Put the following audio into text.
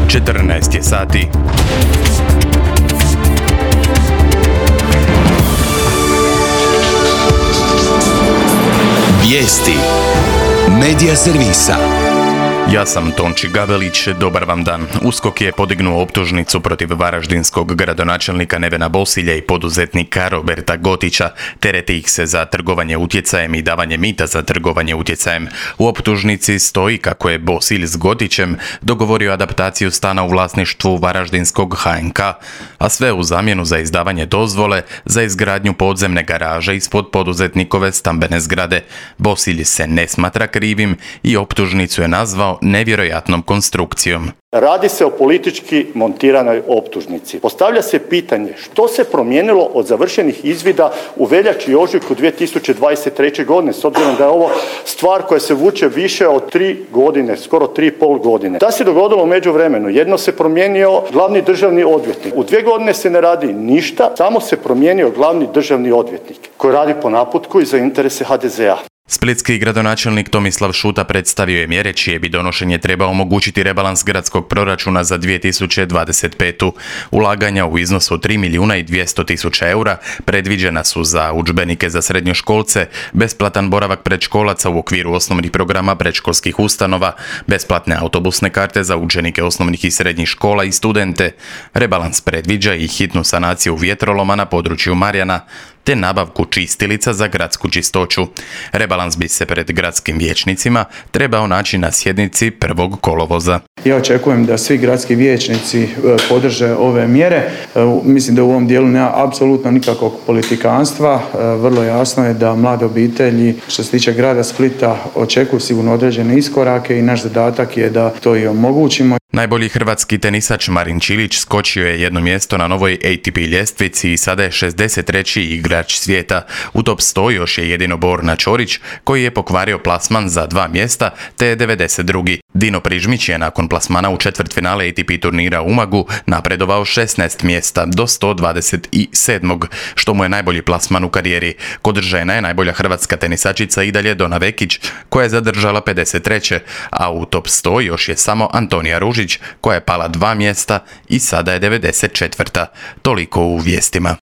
14 je sati. Vijesti Medija servisa. Ja sam Tonči Gabelić, dobar vam dan. USKOK je podignuo optužnicu protiv varaždinskog gradonačelnika Nevena Bosilja i poduzetnika Roberta Gotića. Tereti ih se za trgovanje utjecajem i davanje mita za trgovanje utjecajem. U optužnici stoji kako je Bosilj s Gotićem dogovorio adaptaciju stana u vlasništvu varaždinskog HNK, a sve u zamjenu za izdavanje dozvole za izgradnju podzemne garaže ispod poduzetnikove stambene zgrade. Bosilj se ne smatra krivim i optužnicu je nazvao nevjerojatnom konstrukcijom. Radi se o politički montiranoj optužnici. Postavlja se pitanje što se promijenilo od završenih izvida u veljači i ožujku 2023. godine, s obzirom da je ovo stvar koja se vuče više od 3 godine, skoro 3,5 godine. Da se dogodilo u međuvremenu? Jedno se promijenio glavni državni odvjetnik. U 2 godine se ne radi ništa, samo se promijenio glavni državni odvjetnik koji radi po naputku i za interese HDZ-a. Splitski gradonačelnik Tomislav Šuta predstavio je mjere čije bi donošenje treba omogućiti rebalans gradskog proračuna za 2025. Ulaganja u iznosu od 3.200.000 eura predviđena su za udžbenike za srednjoškolce, besplatan boravak predškolaca u okviru osnovnih programa predškolskih ustanova, besplatne autobusne karte za učenike osnovnih i srednjih škola i studente. Rebalans predviđa i hitnu sanaciju vjetroloma na području Marjana, te nabavku čistilica za gradsku čistoću. Rebalans bi se pred gradskim vijećnicima trebao naći na sjednici 1. kolovoza. Ja očekujem da svi gradski vijećnici podrže ove mjere. Mislim da u ovom dijelu nema apsolutno nikakvog politikanstva. Vrlo jasno je da mlade obitelji što se tiče grada Splita očekuju sigurno određene iskorake i naš zadatak je da to i omogućimo. Najbolji hrvatski tenisač Marin Čilić skočio je jedno mjesto na novoj ATP ljestvici i sada je 63. igrač svijeta. U top 100 još je jedino Borna Ćorić koji je pokvario plasman za 2 mjesta te je 92. Dino Prižmić je nakon plasmana u četvrtfinale ATP turnira u Umagu napredovao 16 mjesta do 127. što mu je najbolji plasman u karijeri. Kod žena je najbolja hrvatska tenisačica i dalje Dona Vekić koja je zadržala 53. a u top 100 još je samo Antonija Ružić koja je pala 2 mjesta i sada je 94. Toliko u vijestima.